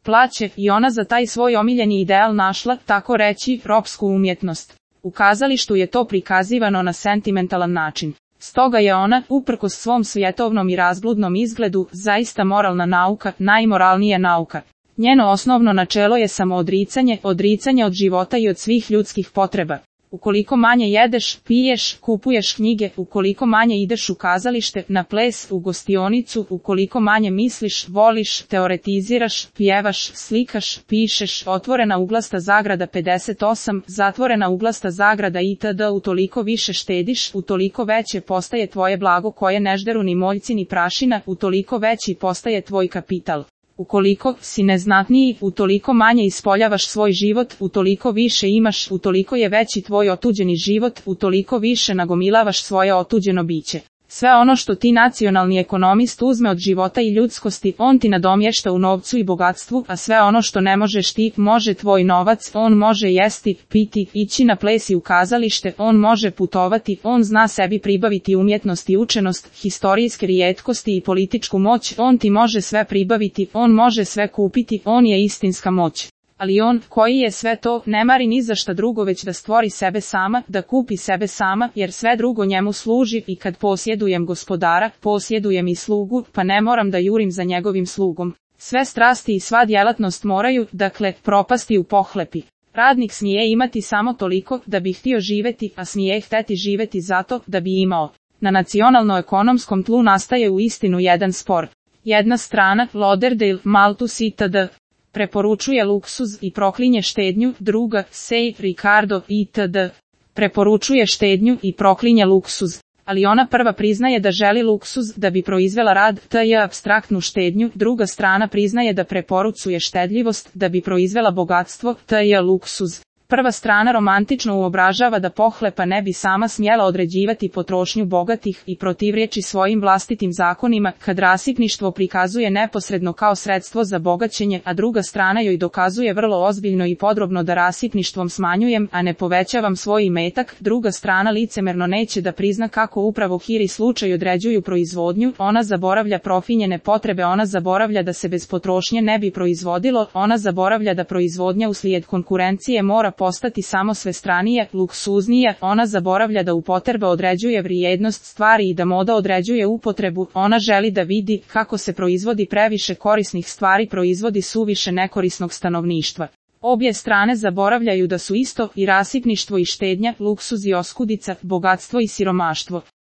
plaće i ona za taj svoj omiljeni ideal našla, tako reći, ropsku umjetnost. U kazalištu je to prikazivano na sentimentalan način. Stoga je ona, uprkos svom svjetovnom i razbludnom izgledu, zaista moralna nauka, najmoralnija nauka. Njeno osnovno načelo je samoodricanje, odricanje od života i od svih ljudskih potreba. Ukoliko manje jedeš, piješ, kupuješ knjige, ukoliko manje ideš u kazalište, na ples, u gostionicu, ukoliko manje misliš, voliš, teoretiziraš, pjevaš, slikaš, pišeš, otvorena uglasta zagrada 58, zatvorena uglasta zagrada itd. Utoliko više štediš, utoliko veće postaje tvoje blago koje ne žderu ni moljci ni prašina, utoliko veći postaje tvoj kapital. Ukoliko si neznatniji, utoliko manje ispoljavaš svoj život, utoliko više imaš, utoliko je veći tvoj otuđeni život, utoliko više nagomilavaš svoje otuđeno biće. Sve ono što ti nacionalni ekonomist uzme od života i ljudskosti, on ti nadomješta u novcu i bogatstvu, a sve ono što ne možeš ti, može tvoj novac, on može jesti, piti, ići na ples i u kazalište, on može putovati, on zna sebi pribaviti umjetnost i učenost, historijske rijetkosti i političku moć, on ti može sve pribaviti, on može sve kupiti, on je istinska moć. Ali on, koji je sve to, ne mari ni za šta drugo već da stvori sebe sama, da kupi sebe sama, jer sve drugo njemu služi i kad posjedujem gospodara, posjedujem i slugu, pa ne moram da jurim za njegovim slugom. Sve strasti i sva djelatnost moraju, dakle, propasti u pohlepi. Radnik smije imati samo toliko da bi htio živjeti, a smije hteti živjeti zato da bi imao. Na nacionalno-ekonomskom tlu nastaje u istinu jedan spor. Jedna strana, Lauderdale, Malthus itd. preporučuje luksuz i proklinje štednju, druga, Say, Ricardo itd. preporučuje štednju i proklinje luksuz. Ali ona prva priznaje da želi luksuz da bi proizvela rad, t.j. apstraktnu štednju, druga strana priznaje da preporučuje štedljivost da bi proizvela bogatstvo, t.j. luksuz. Prva strana romantično uobražava da pohlepa ne bi sama smjela određivati potrošnju bogatih i protivriječi svojim vlastitim zakonima, kad rasipništvo prikazuje neposredno kao sredstvo za bogaćenje, a druga strana joj dokazuje vrlo ozbiljno i podrobno da rasipništvom smanjujem, a ne povećavam svoj imetak. Druga strana licemerno neće da prizna kako upravo hiri slučaj određuju proizvodnju, ona zaboravlja profinjene potrebe, ona zaboravlja da se bez potrošnje ne bi proizvodilo, ona zaboravlja da proizvodnja uslijed konkurencije mora postati samo svestranije, luksuznije, ona zaboravlja da upotreba određuje vrijednost stvari i da moda određuje upotrebu, ona želi da vidi kako se proizvodi previše korisnih stvari, proizvodi suviše nekorisnog stanovništva. Obje strane zaboravljaju da su isto i rasipništvo i štednja, luksuz i oskudica, bogatstvo i siromaštvo.